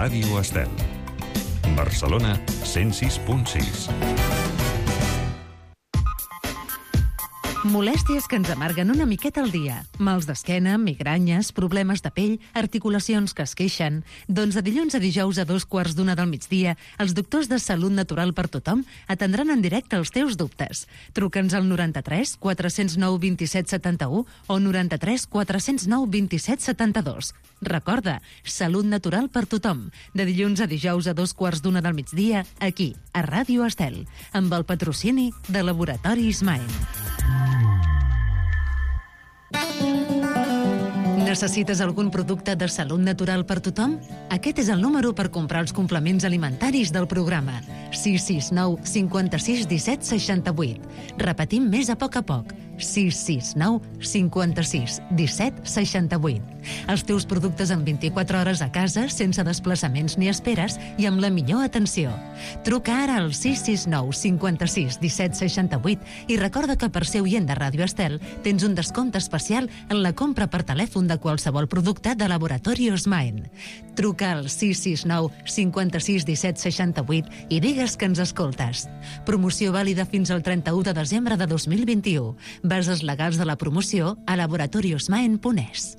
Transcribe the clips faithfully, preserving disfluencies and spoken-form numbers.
Ràdio Estel. Barcelona, cent sis punt sis. Molèsties que ens amarguen una miqueta al dia. Mals d'esquena, migranyes, problemes de pell, articulacions que es queixen. Doncs de dilluns a dijous a dos quarts d'una del migdia, els doctors de Salut Natural per Tothom atendran en directe els teus dubtes. Truca'ns al noranta-tres quatre zero nou vint set setanta-u o noranta-tres quatre zero nou vint set setanta-dos. Recorda, Salut Natural per Tothom. De dilluns a dijous a dos quarts d'una del migdia, aquí, a Ràdio Estel, amb el patrocini de Laboratori Ismael. Necessites algun producte de salut natural per tothom? Aquest és el número per comprar els complements alimentaris del programa. sis sis nou cinquanta-sis disset seixanta-vuit. Repetim més a poc a poc. sis sis nou cinquanta-sis disset seixanta-vuit. Els teus productes en vint-i-quatre hores a casa, sense desplaçaments ni esperes i amb la millor atenció. Truca ara al sis sis nou cinquanta-sis disset seixanta-vuit i recorda que per ser oient de Ràdio Estel tens un descompte especial en la compra per telèfon de qualsevol producte de Laboratori Osmaen. Truca al sis sis nou cinquanta-sis disset seixanta-vuit i digues que ens escoltes. Promoció vàlida fins al trenta-u de desembre de dos mil vint-i-u. Bases legals de la promoció a laboratori osmaen punt es.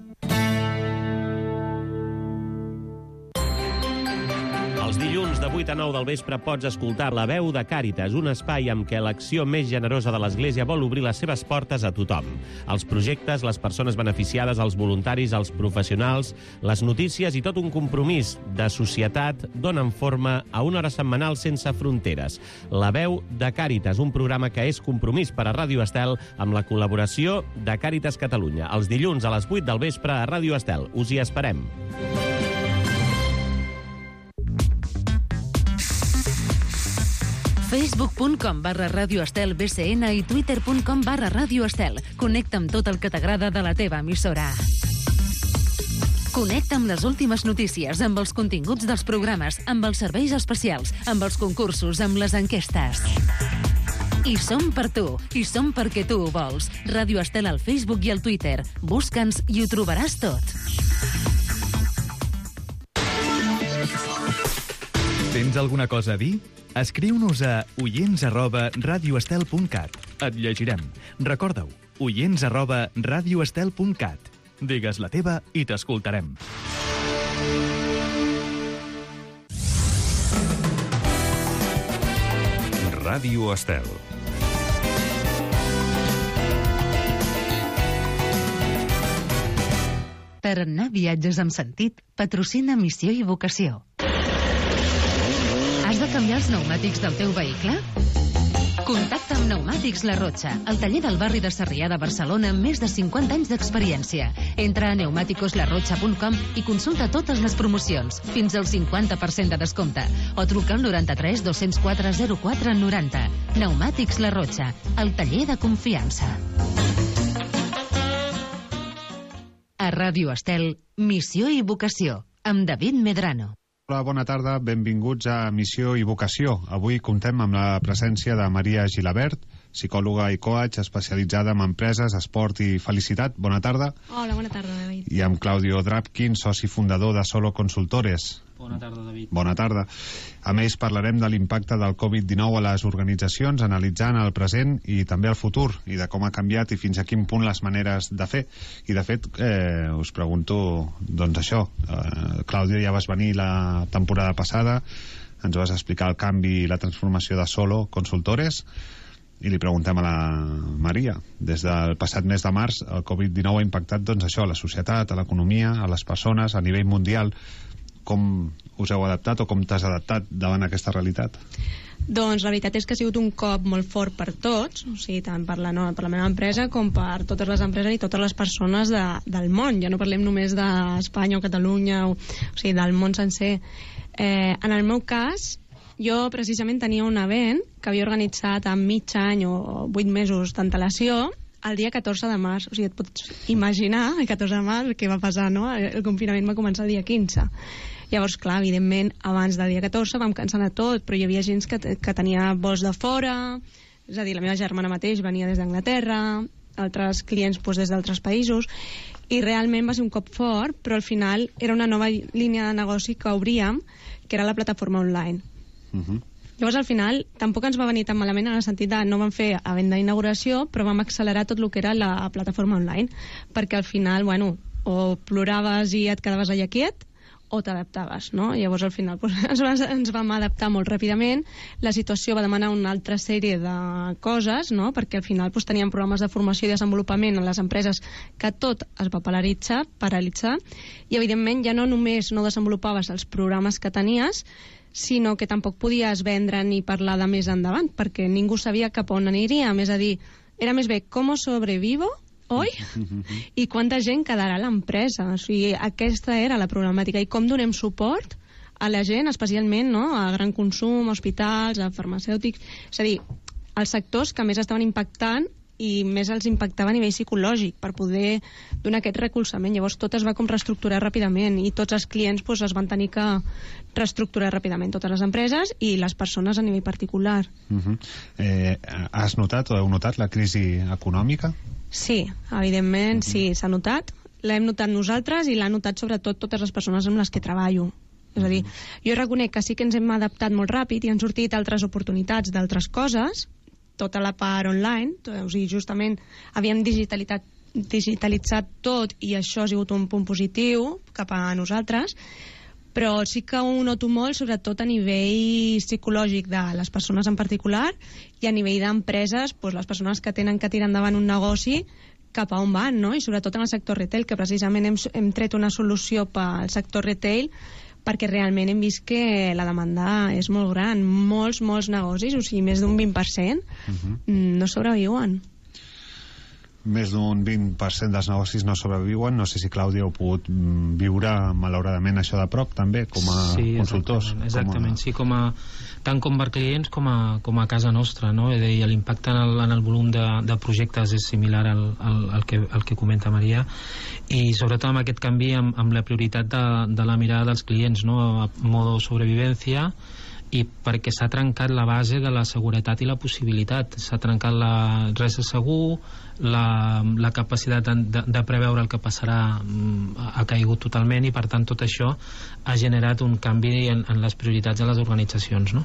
Els dilluns de vuit a nou del vespre pots escoltar La Veu de Càritas, un espai amb què l'acció més generosa de l'Església vol obrir les seves portes a tothom. Els projectes, les persones beneficiades, els voluntaris, els professionals, les notícies i tot un compromís de societat donen forma a una hora setmanal sense fronteres. La Veu de Càritas, un programa que és compromís per a Ràdio Estel amb la col·laboració de Càritas Catalunya. Els dilluns a les vuit del vespre a Ràdio Estel. Us hi esperem. facebook punt com barra Ràdio Estel B C N i twitter punt com barra Ràdio Estel. Connecta amb tot el que t'agrada de la teva emissora. Connecta amb les últimes notícies, amb els continguts dels programes, amb els serveis especials, amb els concursos, amb les enquestes. I som per tu, i som perquè tu ho vols. Ràdio Estel al Facebook i al Twitter. Busca'ns i ho trobaràs tot. Tens alguna cosa a dir? Escriu-nos a oients arroba radioestel punt cat. Et llegirem. Recorda-ho, oients arroba radioestel punt cat. Digues la teva i t'escoltarem. Ràdio Estel. Tarannà Viatges amb Sentit patrocina Missió i Vocació. Has de canviar els pneumàtics del teu vehicle? Contacta amb Pneumàtics La Rotxa, el taller del barri de Sarrià de Barcelona amb més de cinquanta anys d'experiència. Entra a pneumáticos la rocha punt com i consulta totes les promocions, fins al cinquanta per cent de descompte. O truca al noranta-tres dos cents quatre zero quatre noranta. Pneumàtics La Rotxa, el taller de confiança. A Ràdio Estel, Missió i Vocació, amb David Medrano. Hola, bona tarda, benvinguts a Missió i Vocació. Avui comptem amb la presència de Maria Gilabert, psicòloga i coach especialitzada en empreses, esport i felicitat. Bona tarda. Hola, bona tarda, David. I amb Claudio Drapkin, soci fundador de Solo Consultores. Bona tarda, David. Bona tarda. A més, parlarem de l'impacte del covid dinou a les organitzacions, analitzant el present i també el futur, i de com ha canviat i fins a quin punt les maneres de fer. I, de fet, eh, us pregunto, doncs això, eh, Clàudia, ja vas venir la temporada passada, ens vas explicar el canvi i la transformació de Solo Consultores, i li preguntem a la Maria. Des del passat mes de març, el covid dinou ha impactat, doncs, això, a la societat, a l'economia, a les persones, a nivell mundial. Com us heu adaptat o com t'has adaptat davant aquesta realitat? Doncs la veritat és que ha sigut un cop molt fort per tots, o sigui, tant per la, no, per la meva empresa com per totes les empreses i totes les persones de, del món. Ja no parlem només d'Espanya o Catalunya, o, o sigui, del món sencer. Eh, en el meu cas, jo precisament tenia un event que havia organitzat amb mig any o vuit mesos d'antelació el dia catorze de març. O sigui, et pots imaginar el catorze de març què va passar, no? El confinament va començar el dia quinze. Llavors, clar, evidentment, abans del dia catorze vam cancel·lar tot, però hi havia gent que, que tenia vols de fora, és a dir, la meva germana mateix venia des d'Anglaterra, altres clients doncs, des d'altres països, i realment va ser un cop fort, però al final era una nova línia de negoci que obríem, que era la plataforma online. Uh-huh. Llavors, al final, tampoc ens va venir tan malament en el sentit de no vam fer a venda d'inauguració, però vam accelerar tot el que era la plataforma online, perquè al final, bueno, o ploraves i et quedaves allà quiet, o t'adaptaves, no? Llavors, al final, doncs, ens, ens vam adaptar molt ràpidament. La situació va demanar una altra sèrie de coses, no? Perquè al final doncs, teníem programes de formació i desenvolupament en les empreses que tot es va paralitzar, paralitzar i, evidentment, ja no només no desenvolupaves els programes que tenies, sinó que tampoc podies vendre ni parlar de més endavant, perquè ningú sabia cap on aniríem. És a dir, era més bé com sobrevivo, oi? I quanta gent quedarà a l'empresa. O sigui, aquesta era la problemàtica. I com donem suport a la gent, especialment, no?, a gran consum, a hospitals, a farmacèutics... És a dir, els sectors que més estaven impactant i més els impactava a nivell psicològic per poder donar aquest recolzament. Llavors tot es va com reestructurar ràpidament i tots els clients doncs, es van tenir que reestructurar ràpidament, totes les empreses i les persones a nivell particular. Uh-huh. eh, has notat o heu notat la crisi econòmica? Sí, evidentment, uh-huh. sí, s'ha notat. L'hem notat nosaltres i l'ha notat sobretot totes les persones amb les que treballo. És a dir, jo reconec que sí que ens hem adaptat molt ràpid i han sortit altres oportunitats d'altres coses, tota la part online, o sigui, justament havíem digitalitat, digitalitzat tot i això ha sigut un punt positiu cap a nosaltres, però sí que ho noto molt, sobretot a nivell psicològic de les persones en particular i a nivell d'empreses, doncs les persones que tenen que tirar endavant un negoci cap a on van, no? I sobretot en el sector retail, que precisament hem, hem tret una solució pel sector retail perquè realment hem vist que la demanda és molt gran. Molts, molts negocis, o sigui, més d'un vint per cent, uh-huh. no sobreviuen. Més d'un vint per cent dels negocis no sobreviuen. No sé si, Clàudia, heu pogut viure, malauradament, això de prop, també, com a sí, consultors. Exactament, exactament. Com a... sí, com a, tant com per clients com a, com a casa nostra, no? És a dir, l'impacte en el, en el volum de, de projectes és similar al, al, al, que, al que comenta Maria, i sobretot amb aquest canvi amb, amb la prioritat de, de la mirada dels clients, no? A modo sobrevivència, i perquè s'ha trencat la base de la seguretat i la possibilitat. S'ha trencat la res de segur, la, la capacitat de, de, de preveure el que passarà ha caigut totalment, i per tant tot això ha generat un canvi en, en les prioritats de les organitzacions, no?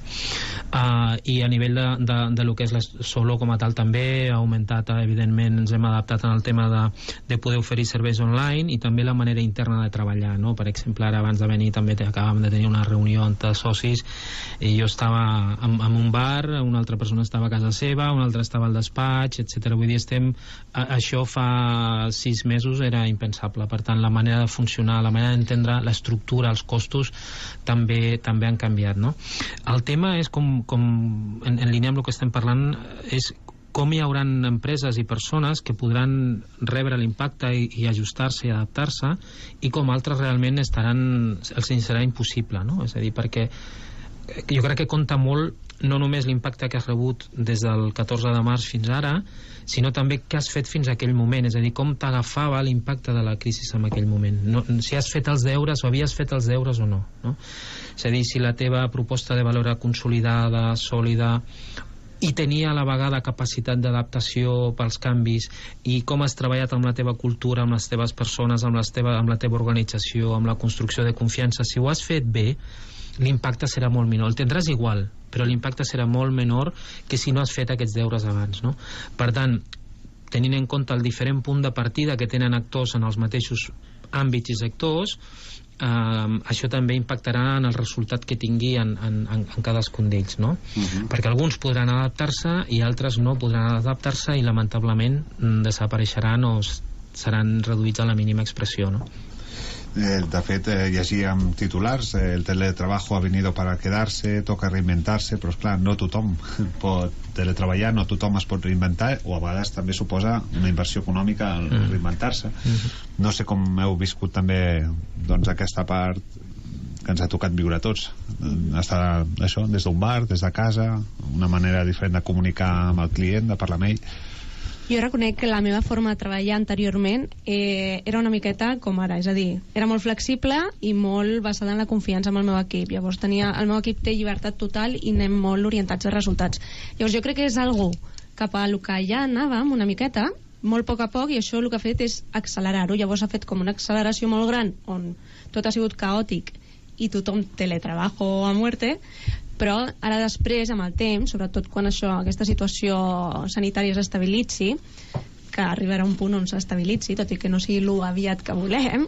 Uh, i a nivell de, de, de lo que és la Solo com a tal també ha augmentat, evidentment ens hem adaptat en el tema de, de poder oferir serveis online i també la manera interna de treballar, no? Per exemple, ara abans de venir també acabàvem de tenir una reunió entre socis i jo estava en, en un bar, una altra persona estava a casa seva, una altra estava al despatx, etcètera. Vull dir, estem a, això fa sis mesos era impensable. Per tant, la manera de funcionar, la manera d'entendre l'estructura, els costos també també han canviat, no? El tema és com, com en, en línia amb el que estem parlant, és com hi haurà empreses i persones que podran rebre l'impacte i, i ajustar-se i adaptar-se, i com altres realment estaran, els serà impossible, no? És a dir, perquè jo crec que compta molt no només l'impacte que has rebut des del catorze de març fins ara, sinó també què has fet fins a aquell moment, és a dir, com t'agafava l'impacte de la crisi en aquell moment, no, si has fet els deures o havies fet els deures o no, no? És a dir, si la teva proposta de valor era consolidada, sòlida, i tenia a la vegada capacitat d'adaptació pels canvis, i com has treballat amb la teva cultura, amb les teves persones, amb, les teva, amb la teva organització, amb la construcció de confiança. Si ho has fet bé, l'impacte serà molt menor. El tindràs igual, però l'impacte serà molt menor que si no has fet aquests deures abans, no? Per tant, tenint en compte el diferent punt de partida que tenen actors en els mateixos àmbits i sectors, eh, això també impactarà en el resultat que tingui en, en, en cadascun d'ells, no? Uh-huh. Perquè alguns podran adaptar-se i altres no podran adaptar-se i lamentablement desapareixeran o seran reduïts a la mínima expressió, no? Eh, de fet, eh, llegíem titulars, eh, el teletrabajo ha venido para quedarse, toca reinventarse, però esclar, no tothom pot teletreballar, no tothom es pot reinventar, o a vegades també suposa una inversió econòmica al mm. reinventar-se. Mm-hmm. No sé com heu viscut també doncs, aquesta part que ens ha tocat viure a tots, estar això, des d'un bar, des de casa, una manera diferent de comunicar amb el client, de parlar amb ell. Jo reconec que la meva forma de treballar anteriorment eh, era una miqueta com ara, és a dir, era molt flexible i molt basada en la confiança amb el meu equip. Llavors tenia, el meu equip té llibertat total i anem molt orientats a resultats. Llavors jo crec que és algo cap a el que ja anàvem una miqueta, molt a poc a poc, i això el que ha fet és accelerar-ho. Llavors ha fet com una acceleració molt gran on tot ha sigut caòtic i tothom teletrabajo a muerte, però ara després, amb el temps, sobretot quan això, aquesta situació sanitària s'estabilitzi, que arribarà un punt on s'estabilitzi, tot i que no sigui lo aviat que volem,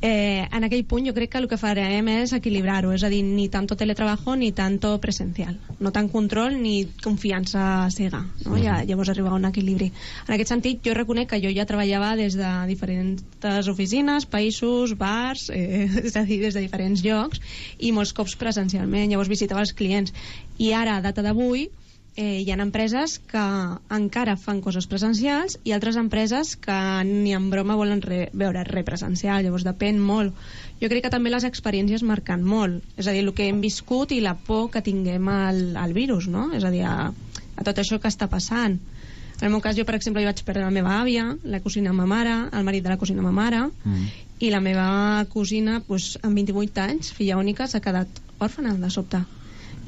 eh, en aquell punt jo crec que el que farem és equilibrar-ho, és a dir, ni tanto teletrabajo ni tanto presencial, no tant control ni confiança cega, no? Ja, llavors arribar a un equilibri. En aquest sentit, jo reconec que jo ja treballava des de diferents oficines, països, bars, eh, és a dir, des de diferents llocs, i molts cops presencialment, llavors visitava els clients, i ara, a data d'avui, Eh, hi ha empreses que encara fan coses presencials i altres empreses que ni en broma volen re, veure res presencial, llavors depèn molt. Jo crec que també les experiències marquen molt, és a dir, el que hem viscut i la por que tinguem al, al virus, no? És a dir, a, a tot això que està passant. En el meu cas, jo, per exemple, jo vaig perdre la meva àvia, la cosina de ma mare, el marit de la cosina de ma mare, mm. i la meva cosina, doncs, amb vint-i-vuit anys, filla única, s'ha quedat òrfana de sobte.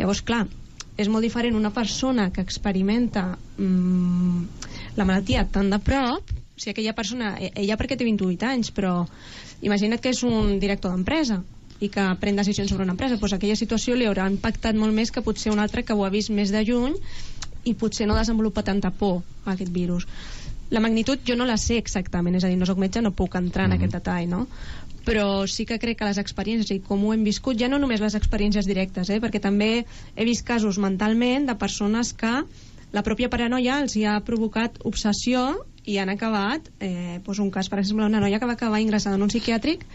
Llavors, clar, és molt diferent una persona que experimenta mmm, la malaltia tan de prop, o sigui, aquella persona, ella perquè té vint-i-vuit anys, però imagina't que és un director d'empresa i que pren decisions sobre una empresa, doncs aquella situació li haurà impactat molt més que potser un altre que ho ha vist més de lluny i potser no desenvolupa tanta por a aquest virus. La magnitud jo no la sé exactament, és a dir, no soc metge, no puc entrar en mm. aquest detall, no? Però sí que crec que les experiències i com ho hem viscut, ja no només les experiències directes, eh, perquè també he vist casos mentalment de persones que la pròpia paranoia els hi ha provocat obsessió i han acabat, eh, doncs un cas, per exemple, una noia que va acabar ingressada en un psiquiàtric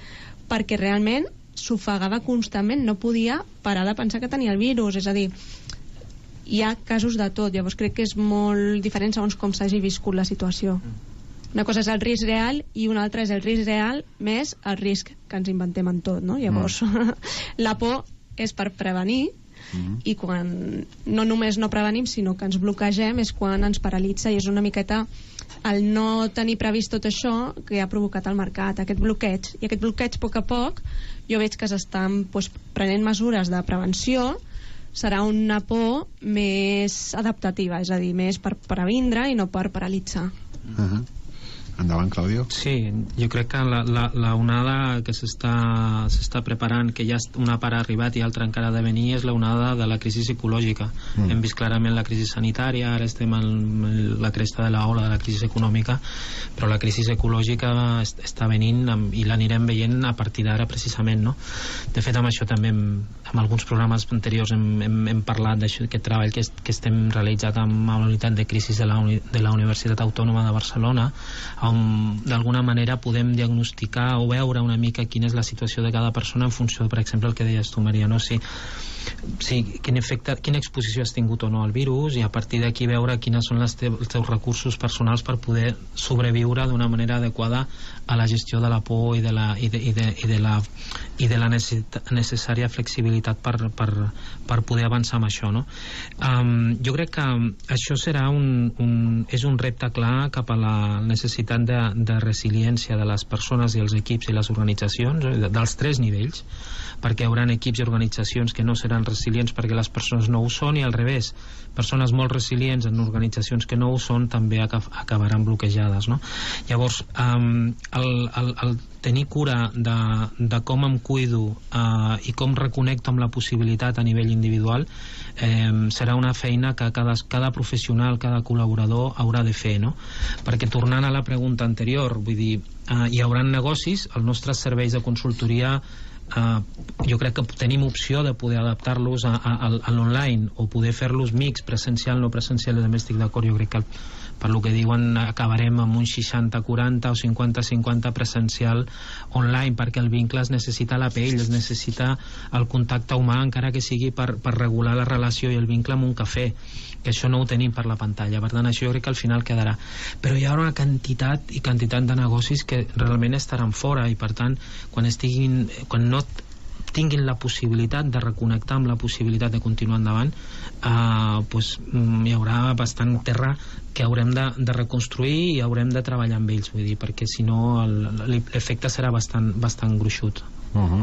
perquè realment s'ofegava constantment, no podia parar de pensar que tenia el virus, és a dir, hi ha casos de tot, llavors crec que és molt diferent segons com s'hagi viscut la situació. Una cosa és el risc real i una altra és el risc real més el risc que ens inventem en tot, no? Llavors, mm. la por és per prevenir mm. i quan no només no prevenim sinó que ens bloquegem és quan ens paralitza, i és una miqueta el no tenir previst tot això que ha provocat el mercat, aquest bloqueig, i aquest bloqueig a poc a poc jo veig que s'estan doncs, prenent mesures de prevenció. Serà una por més adaptativa, és a dir, més per previndre i no per paralitzar. Uh-huh. Endavant, Claudio. Sí, jo crec que la, la, la onada que s'està s'està preparant, que ja una part ha arribat i altra encara ha de venir, és la onada de la crisi psicològica. Mm. Hem vist clarament la crisi sanitària, ara estem en la cresta de la ola de la crisi econòmica, però la crisi ecològica est està venint amb, i l'anirem veient a partir d'ara precisament, no? De fet, amb això també hem, amb alguns programes anteriors hem, hem, hem parlat d'aquest treball que, est, que estem realitzat amb la unitat de crisi de la, uni, de la Universitat Autònoma de Barcelona, on d'alguna manera podem diagnosticar o veure una mica quina és la situació de cada persona en funció, per exemple, el que deies tu, Maria, no? Si, si, quin efecte, quina exposició has tingut o no al virus, i a partir d'aquí veure quines són les teus, els teus recursos personals per poder sobreviure d'una manera adequada a la gestió de la por i de la, i de, i de, i de la, i de la necessària flexibilitat per, per, per poder avançar amb això, no? Um, jo crec que això serà un, un, és un repte clar cap a la necessitat de, de resiliència de les persones i els equips i les organitzacions, dels tres nivells, perquè hi haurà equips i organitzacions que no seran resilients perquè les persones no ho són, i al revés, persones molt resilients en organitzacions que no ho són també acabaran bloquejades, no? Llavors, um, el, el, el tenir cura de, de com em cuido uh, i com reconnecto amb la possibilitat a nivell individual eh, serà una feina que cada, cada professional, cada col·laborador haurà de fer, no? Perquè tornant a la pregunta anterior, vull dir, uh, hi haurà negocis, els nostres serveis de consultoria Uh, jo crec que tenim opció de poder adaptar-los a, a, a l'online o poder fer-los mix, presencial, no presencial, i també estic d'acord. Jo crec que per lo que diuen acabarem amb un seixanta quaranta o cinquanta cinquanta presencial online, perquè el vincle es necessita a la pell, es necessita el contacte humà, encara que sigui per, per regular la relació i el vincle amb un cafè, que això no ho tenim per la pantalla. Per tant, això jo crec que al final quedarà, però hi ha una quantitat i quantitat de negocis que realment estaran fora, i per tant, quan estiguin, quan no tinguin la possibilitat de reconnectar amb la possibilitat de continuar endavant, eh, pues, hi haurà bastant terra que haurem de, de reconstruir i haurem de treballar amb ells, vull dir, perquè si no l'efecte serà bastant, bastant gruixut. Uh-huh.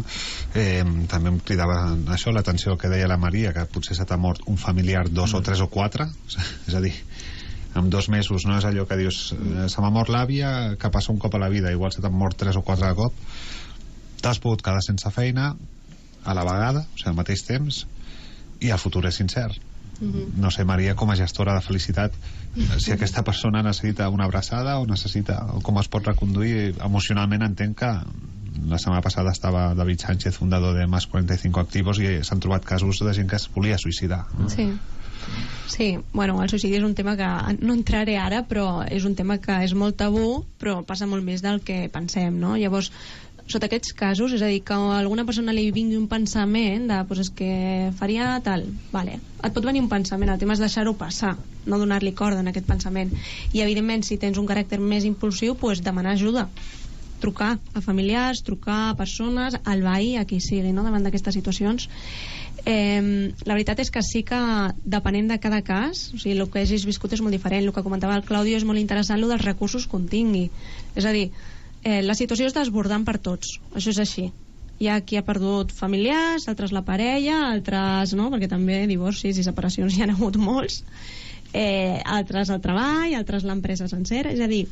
eh, també em cridava això l'atenció que deia la Maria, que potser se t'ha mort un familiar, dos mm. o tres o quatre, és a dir, en dos mesos, no és allò que dius eh, se m'ha mort l'àvia, que passa un cop a la vida, igual se t'han mort tres o quatre de cop, t'has pogut quedar sense feina a la vegada, o sigui, al mateix temps, i el futur és incert. Mm-hmm. No sé, Maria, com a gestora de felicitat, si aquesta persona necessita una abraçada o necessita, o com es pot reconduir emocionalment. Entenc que la setmana passada estava David Sánchez, fundador de Más cuarenta y cinco Activos, i s'han trobat casos de gent que es volia suïcidar. Sí. Sí, bueno, el suïcidi és un tema que no entraré ara, però és un tema que és molt tabú, però passa molt més del que pensem, no? Llavors, sota aquests casos, és a dir, que a alguna persona li vingui un pensament de, pues és que faria tal, vale, et pot venir un pensament, el tema és deixar-ho passar, no donar-li corda en aquest pensament, i evidentment si tens un caràcter més impulsiu, pues demanar ajuda, trucar a familiars, trucar a persones, al veí, a qui sigui, no?, davant d'aquestes situacions. Eh, la veritat és que sí que depenent de cada cas, o sigui, el que hagis viscut és molt diferent. El que comentava el Claudio és molt interessant, el dels recursos que un tingui, és a dir, eh, la situació és desbordant per tots, això és així. Hi ha qui ha perdut familiars, altres la parella, altres no, perquè també divorcis i separacions hi ha hagut molts, eh, altres el treball, altres l'empresa sencera, és a dir,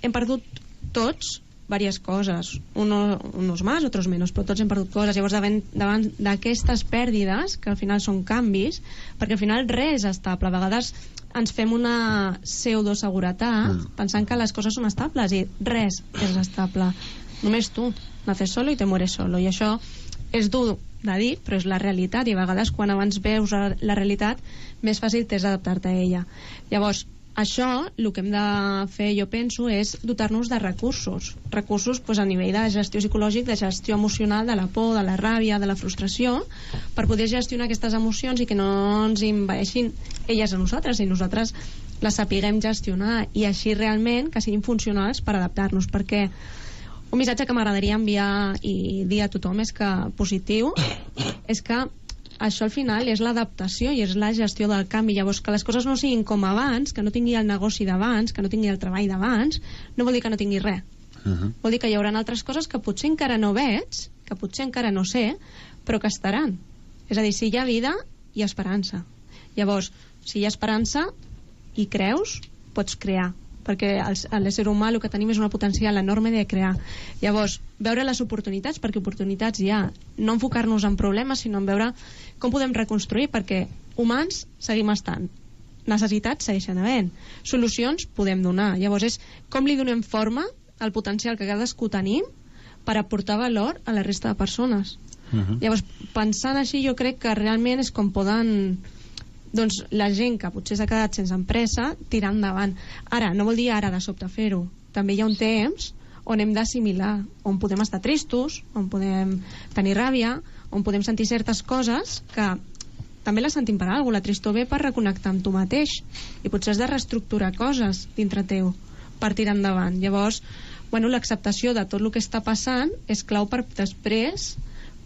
hem perdut tots diverses coses, uno, unos más, otros menos, però tots hem perdut coses. Llavors davant, davant d'aquestes pèrdides, que al final són canvis, perquè al final res és estable, a vegades ens fem una pseudoseguretat mm. pensant que les coses són estables, i res és estable, només tu naces solo i te mueres solo, i això és dur de dir, però és la realitat, i a vegades quan abans veus la realitat més fàcil t'és adaptar-te a ella. Llavors això, el que hem de fer, jo penso, és dotar-nos de recursos. Recursos pues, a nivell de gestió psicològic, de gestió emocional, de la por, de la ràbia, de la frustració, per poder gestionar aquestes emocions i que no ens envaeixin elles a nosaltres, i nosaltres les sapiguem gestionar, i així realment que siguin funcionals per adaptar-nos, perquè un missatge que m'agradaria enviar i dir a tothom és que positiu, és que això al final és l'adaptació i és la gestió del canvi. Llavors, que les coses no siguin com abans, que no tingui el negoci d'abans, que no tingui el treball d'abans, no vol dir que no tingui res. Uh-huh. Vol dir que hi haurà altres coses que potser encara no veig, que potser encara no sé, però que estaran. És a dir, si hi ha vida, hi ha esperança. Llavors, si hi ha esperança i creus, pots crear, perquè l'ésser humà el que tenim és una potencial enorme de crear. Llavors, veure les oportunitats, perquè oportunitats hi ha, no enfocar-nos en problemes, sinó en veure com podem reconstruir, perquè humans seguim estant, necessitats segueixen havent, solucions podem donar. Llavors és com li donem forma al potencial que cadascú tenim per aportar valor a la resta de persones. Uh-huh. Llavors, pensant així, jo crec que realment és com poden, doncs, la gent que potser s'ha quedat sense empresa tirar endavant. Ara, no vol dir ara de sobte fer-ho, també hi ha un temps on hem d'assimilar, on podem estar tristos, on podem tenir ràbia, on podem sentir certes coses que també les sentim per alguna cosa. La tristor ve per reconnectar amb tu mateix, i potser has de reestructurar coses dintre teu per tirar endavant. Llavors, bueno, l'acceptació de tot el que està passant és clau per després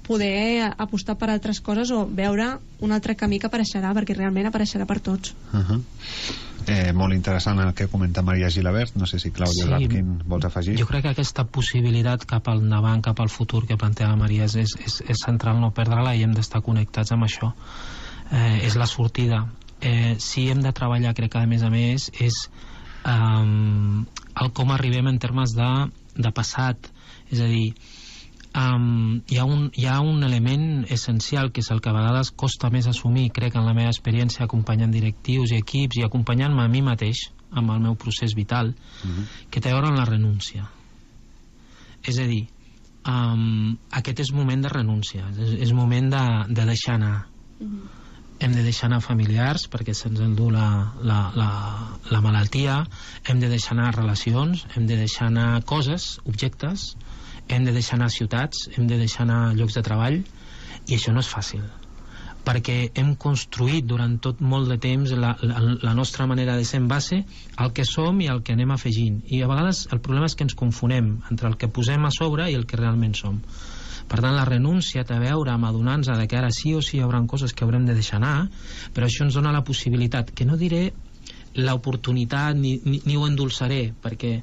poder apostar per altres coses o veure un altre camí que apareixerà, perquè realment apareixerà per tots. Uh-huh. Eh, molt interessant el que comenta Maria Gilabert. No sé si Clàudia sí, Lapkin vols afegir. Jo crec que aquesta possibilitat cap al endavant, cap al futur que planteja Maria és, és, és central no perdre-la, i hem d'estar connectats amb això. Eh, és la sortida. Eh, si hem de treballar, crec que a més a més és um, el com arribem en termes de, de passat, és a dir, Um, hi, ha un, hi ha un element essencial que és el que a vegades costa més assumir, crec, en la meva experiència acompanyant directius i equips i acompanyant-me a mi mateix amb el meu procés vital, uh-huh. que té a veure amb la renúncia. És a dir, um, aquest és moment de renúncia, és, és moment de, de deixar anar. Uh-huh. Hem de deixar anar familiars perquè se'ns endú la, la, la, la malaltia, hem de deixar anar relacions, hem de deixar anar coses, objectes, hem de deixar anar ciutats, hem de deixar anar llocs de treball, i això no és fàcil, perquè hem construït durant tot molt de temps la, la, la nostra manera de ser en base al que som i al que anem afegint, i a vegades el problema és que ens confonem entre el que posem a sobre i el que realment som. Per tant, la renúncia té a veure amb adonar-nos de que ara sí o sí hi haurà coses que haurem de deixar anar, però això ens dona la possibilitat, que no diré l'oportunitat ni, ni, ni ho endolçaré, perquè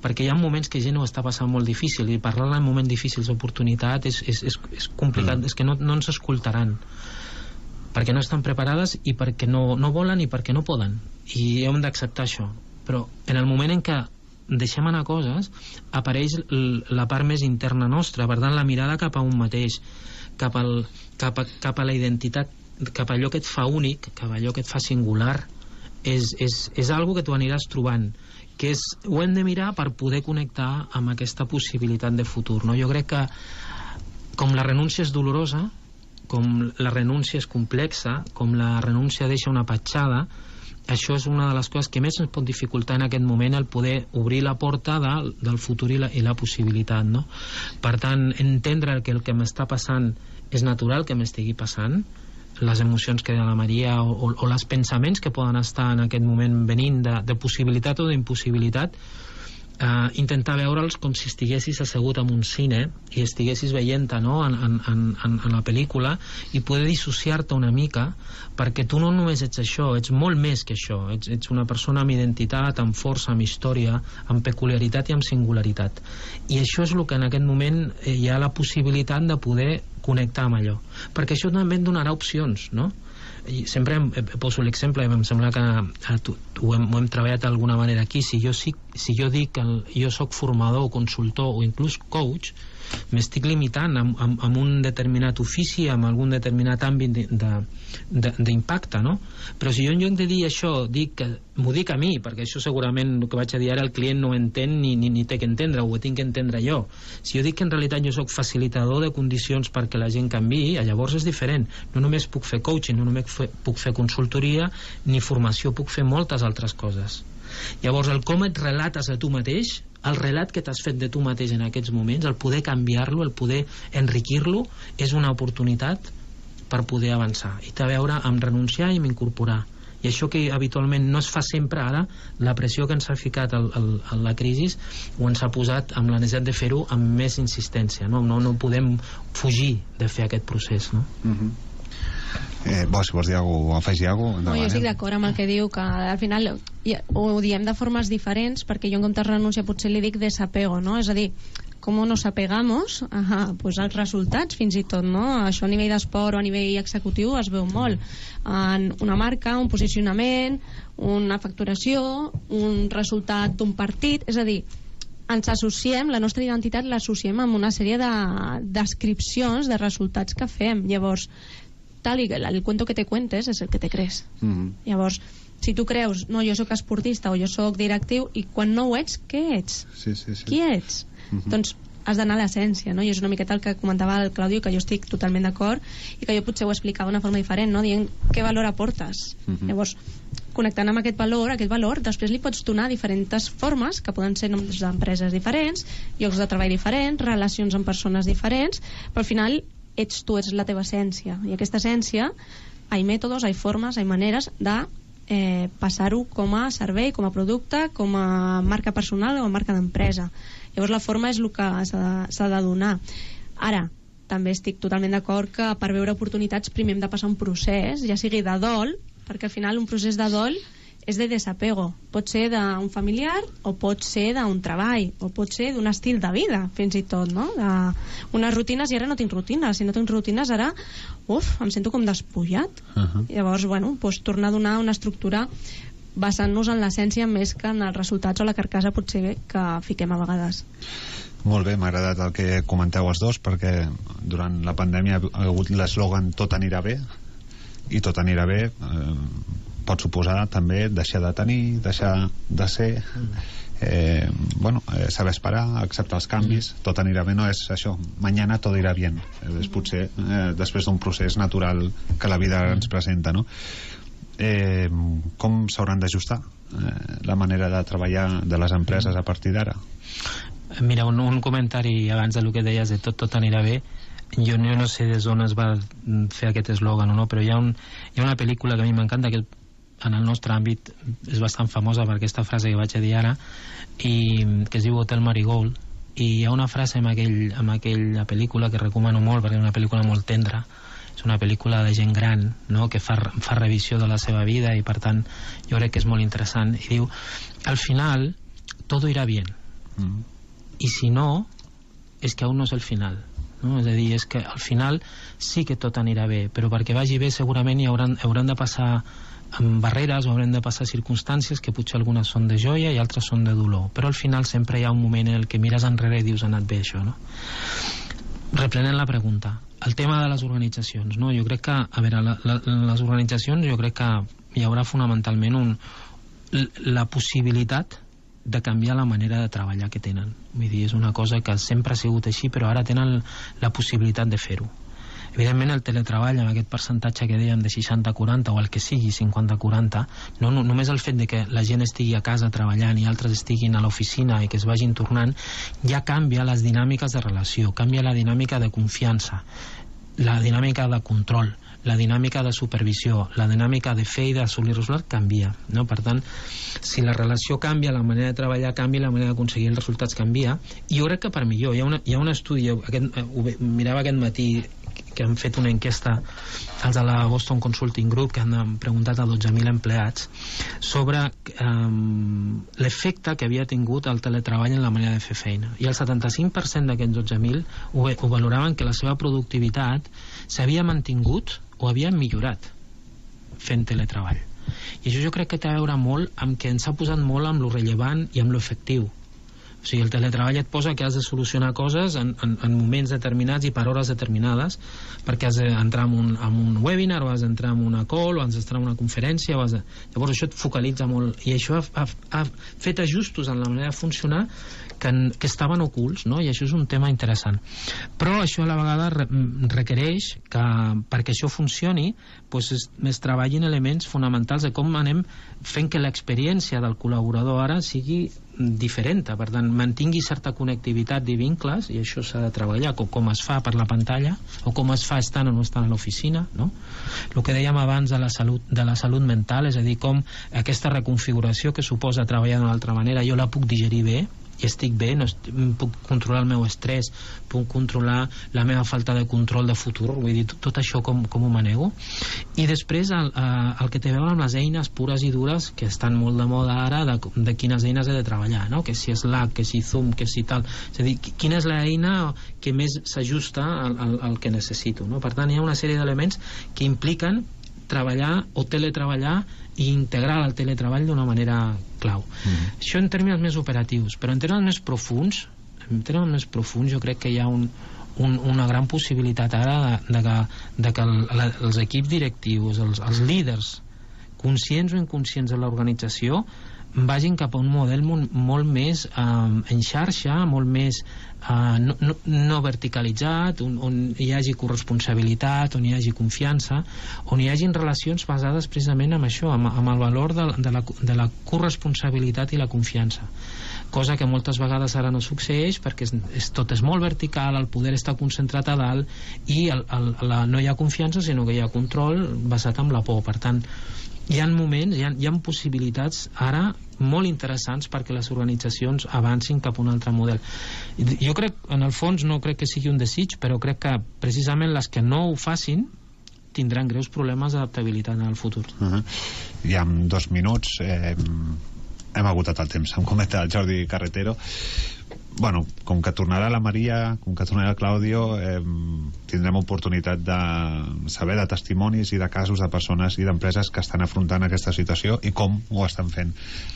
perquè hi ha moments que gent ho està passant molt difícil, i parlar en moments difícils d'oportunitat és, és, és, és complicat, mm. és que no, no ens escoltaran, perquè no estan preparades i perquè no, no volen i perquè no poden, i hem d'acceptar això. Però en el moment en què deixem anar coses, apareix la part més interna nostra, per tant la mirada cap a un mateix, cap, al, cap, a, cap a la identitat, cap a allò que et fa únic, cap a allò que et fa singular, és, és, és algo que tu aniràs trobant, que és, ho hem de mirar per poder connectar amb aquesta possibilitat de futur, no? Jo crec que com la renúncia és dolorosa, com la renúncia és complexa, com la renúncia deixa una petjada, això és una de les coses que més ens pot dificultar en aquest moment, el poder obrir la porta de, del futur i la, i la possibilitat, no? Per tant, entendre que el que m'està passant és natural que m'estigui passant, les emocions que deia la Maria o, o, o els pensaments que poden estar en aquest moment venint de, de possibilitat o d'impossibilitat, Uh, intentar veure'ls com si estiguessis assegut en un cine i estiguessis veient-te, no? en, en, en, en la pel·lícula, i poder dissociar-te una mica, perquè tu no només ets això, ets molt més que això, ets, ets una persona amb identitat, amb força, amb història, amb peculiaritat i amb singularitat, i això és el que en aquest moment eh, hi ha la possibilitat de poder connectar amb allò, perquè això també et donarà opcions, no? I sempre em, em poso l'exemple, em sembla que eh, tu, ho, hem, ho hem treballat d'alguna manera aquí. Si jo, si, si jo dic que el, jo soc formador o consultor o inclús coach, m'estic limitant amb, amb, amb un determinat ofici, amb algun determinat àmbit d'impacte, no? Però si jo en lloc de dir això dic que, m'ho dic a mi, perquè això segurament el que vaig a dir ara el client no ho entén ni, ni, ni té que entendre, ho tinc que entendre jo. Si jo dic que en realitat jo soc facilitador de condicions perquè la gent canviï, llavors és diferent. No només puc fer coaching, no només puc fer consultoria ni formació, puc fer moltes altres coses. Llavors el com et relates a tu mateix, el relat que t'has fet de tu mateix en aquests moments, el poder canviar-lo, el poder enriquir-lo, és una oportunitat per poder avançar i té a veure amb renunciar i amb incorporar. I això que habitualment no es fa sempre ara, la pressió que ens ha ficat el, el, el, la crisi o ens ha posat amb la necessitat de fer-ho amb més insistència, no? No, no podem fugir de fer aquest procés, no? Mm-hmm. Eh, bo, si vols dir alguna cosa o afegir alguna cosa, no, jo estic d'acord amb el que diu, que al final ho diem de formes diferents, perquè jo en comptes de renúncia potser li dic desapego, no? És a dir, com nos apegamos a, pues, als resultats fins i tot, no? Això a nivell d'esport o a nivell executiu es veu molt en una marca, un posicionament, una facturació, un resultat d'un partit, és a dir, ens associem, la nostra identitat l'associem amb una sèrie de descripcions de resultats que fem. Llavors, tal i el, el cuento que te cuentes és el que te crees. Mm-hmm. Llavors, si tu creus, no, jo sóc esportista o jo sóc directiu, i quan no ho ets, què ets? Sí, sí, sí. Qui ets? Mm-hmm. Doncs has d'anar a l'essència, no? I és una miqueta el que comentava el Claudio, que jo estic totalment d'acord i que jo potser ho explicava d'una forma diferent, no? Dient què valor aportes. Mm-hmm. Llavors, connectant amb aquest valor, aquest valor després li pots donar diferents formes, que poden ser noms d'empreses diferents, llocs de treball diferents, relacions amb persones diferents, però al final ets tu, ets la teva essència, i aquesta essència hi ha mètodes, hi ha formes, hi ha maneres de eh, passar-ho com a servei, com a producte, com a marca personal o a marca d'empresa. Llavors la forma és el que s'ha de, s'ha de donar. Ara, també estic totalment d'acord que per veure oportunitats primer hem de passar un procés, ja sigui de dol, perquè al final un procés de dol és de desapego, pot ser d'un familiar o pot ser d'un treball o pot ser d'un estil de vida fins i tot, no? De unes rutines, i ara no tinc rutines, si no tinc rutines ara uf, em sento com despullat. Uh-huh. Llavors, bueno, doncs tornar a donar una estructura basant-nos en l'essència més que en els resultats o la carcassa potser que fiquem a vegades. Molt bé, m'ha agradat el que comenteu els dos, perquè durant la pandèmia ha hagut l'eslògan tot anirà bé, i tot anirà bé eh, pot suposar també deixar de tenir, deixar de ser, eh, bueno, eh, saber esperar, acceptar els canvis. Tot anirà bé no és això, mañana todo irá bien, és potser eh, després d'un procés natural que la vida ens presenta, no? Eh, com s'hauran d'ajustar eh, la manera de treballar de les empreses a partir d'ara? Mira, un, un comentari abans del que deies de tot, tot anirà bé. Jo no, no sé des d'on es va fer aquest eslògan o no, però hi ha, un, hi ha una pel·lícula que a mi m'encanta, que en el nostre àmbit és bastant famosa per aquesta frase que vaig a dir ara, i que es diu Hotel Marigold, i hi ha una frase en, aquell, en aquella pel·lícula que recomano molt perquè és una pel·lícula molt tendra, és una pel·lícula de gent gran, no? Que fa, fa revisió de la seva vida, i per tant jo crec que és molt interessant, i diu al final todo irá bien, mm. y si no es que aún no es el final. no? És a dir, és que al final sí que tot anirà bé, però perquè vagi bé segurament hi hauran, hauran de passar amb barreres o haurem de passar circumstàncies que potser algunes són de joia i altres són de dolor, però al final sempre hi ha un moment en el que mires enrere i dius ha anat bé això, no? Reprenent la pregunta, el tema de les organitzacions, no? Jo crec que, a veure, la, la, les organitzacions jo crec que hi haurà fonamentalment un, la possibilitat de canviar la manera de treballar que tenen. Vull dir, és una cosa que sempre ha sigut així, però ara tenen la possibilitat de fer-ho. Evidentment el teletreball amb aquest percentatge que dèiem de seixanta quaranta o el que sigui cinquanta quaranta, no, no, només el fet de que la gent estigui a casa treballant i altres estiguin a l'oficina i que es vagin tornant, ja canvia les dinàmiques de relació, canvia la dinàmica de confiança, la dinàmica de control, la dinàmica de supervisió, la dinàmica de fer i d'assolir resultats canvia, no? Per tant, si la relació canvia, la manera de treballar canvia, la manera d'aconseguir els resultats canvia, i jo crec que per millor. Hi ha, una, hi ha un estudi, aquest, ho mirava aquest matí, que han fet una enquesta els de la Boston Consulting Group, que han preguntat a dotze mil empleats sobre um, l'efecte que havia tingut el teletreball en la manera de fer feina, i el setanta-cinc per cent d'aquests dotze mil ho, ho valoraven que la seva productivitat s'havia mantingut o havia millorat fent teletreball. I això jo crec que té a veure molt amb que ens ha posat molt amb lo rellevant i amb lo efectiu. O sigui, el teletreball et posa que has de solucionar coses en, en, en moments determinats i per hores determinades, perquè has d'entrar en un, en un webinar, o has d'entrar en una call, o has d'entrar en una conferència, o has de... Llavors això et focalitza molt, i això ha, ha, ha fet ajustos en la manera de funcionar que, que estaven ocults, no? I això és un tema interessant. Però això a la vegada re, requereix que perquè això funcioni doncs es, es treballin elements fonamentals de com anem fent que l'experiència del col·laborador ara sigui diferent, per tant mantingui certa connectivitat i vincles, i això s'ha de treballar, com, com es fa per la pantalla o com es fa estant o no estant a l'oficina, no? El que dèiem abans de la salut, de la salut mental, és a dir, com aquesta reconfiguració que suposa treballar d'una altra manera jo la puc digerir bé i estic bé, no estic, puc controlar el meu estrès, puc controlar la meva falta de control de futur, vull dir, tot, tot això com, com ho manego. I després el, el que té a veure amb les eines pures i dures que estan molt de moda ara, de, de quines eines he de treballar, no? Que si Slack, que si Zoom, que si tal, és a dir, quina és l'eina que més s'ajusta al, al, al que necessito, no? Per tant, hi ha una sèrie d'elements que impliquen treballar o teletreballar i integrar el teletreball d'una manera clau. Mm-hmm. Això en termes més operatius, però en termes més profuns, en termes més profuns jo crec que hi ha un, un, una gran possibilitat ara de, de que, de que el, la, els equips directius, els, els líders, conscients o inconscients de l'organització, vagin cap a un model molt, molt més eh, en xarxa, molt més eh, no, no, no verticalitzat, on, on hi hagi corresponsabilitat, on hi hagi confiança, on hi hagin relacions basades precisament en això, amb, amb el valor de, de, la, de la corresponsabilitat i la confiança, cosa que moltes vegades ara no succeeix perquè és, és, tot és molt vertical, el poder està concentrat a dalt i el, el, la, no hi ha confiança sinó que hi ha control basat en la por. Per tant, hi ha moments, hi ha, hi ha possibilitats ara molt interessants perquè les organitzacions avancin cap a un altre model. Jo crec, en el fons no crec que sigui un desig, però crec que precisament les que no ho facin tindran greus problemes d'adaptabilitat en el futur. Uh-huh. I en dos minuts eh, hem agotat el temps, em comenta el Jordi Carretero. Bueno, com que tornarà la Maria, com que tornarà el Claudio, eh, tindrem oportunitat de saber de testimonis i de casos de persones i d'empreses que estan afrontant aquesta situació i com ho estan fent.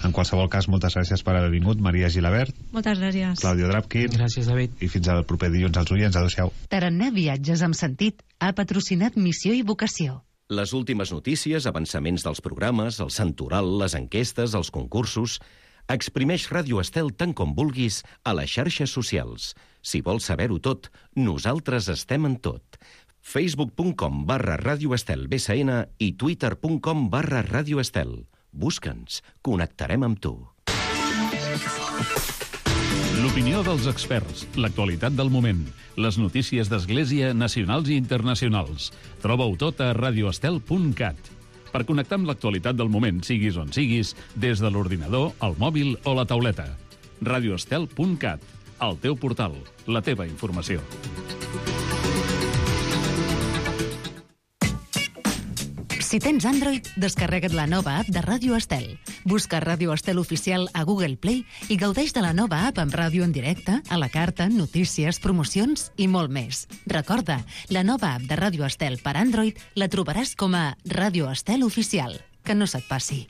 En qualsevol cas, moltes gràcies per haver vingut, Maria Gilabert. Moltes gràcies. Claudio Drapkin. Gràcies, David. I fins al proper dilluns als oients. Adéu-siau. Tarannà Viatges amb Sentit ha patrocinat Missió i Vocació. Les últimes notícies, avançaments dels programes, el santoral, les enquestes, els concursos... Exprimeix Ràdio Estel tant com vulguis a les xarxes socials. Si vols saber-ho tot, nosaltres estem en tot. facebook punt com barra Ràdio Estel B S N i twitter punt com barra Ràdio Estel. Busca'ns, connectarem amb tu. L'opinió dels experts, l'actualitat del moment, les notícies d'Església nacionals i internacionals. Troba-ho tot a radioestel punt cat. Per connectar amb l'actualitat del moment, siguis on siguis, des de l'ordinador, el mòbil o la tauleta. radioestel punt cat, el teu portal, la teva informació. Si tens Android, descarrega't la nova app de Ràdio Estel. Busca Ràdio Estel Oficial a Google Play i gaudeix de la nova app amb ràdio en directe, a la carta, notícies, promocions i molt més. Recorda, la nova app de Ràdio Estel per Android la trobaràs com a Ràdio Estel Oficial. Que no se't passi.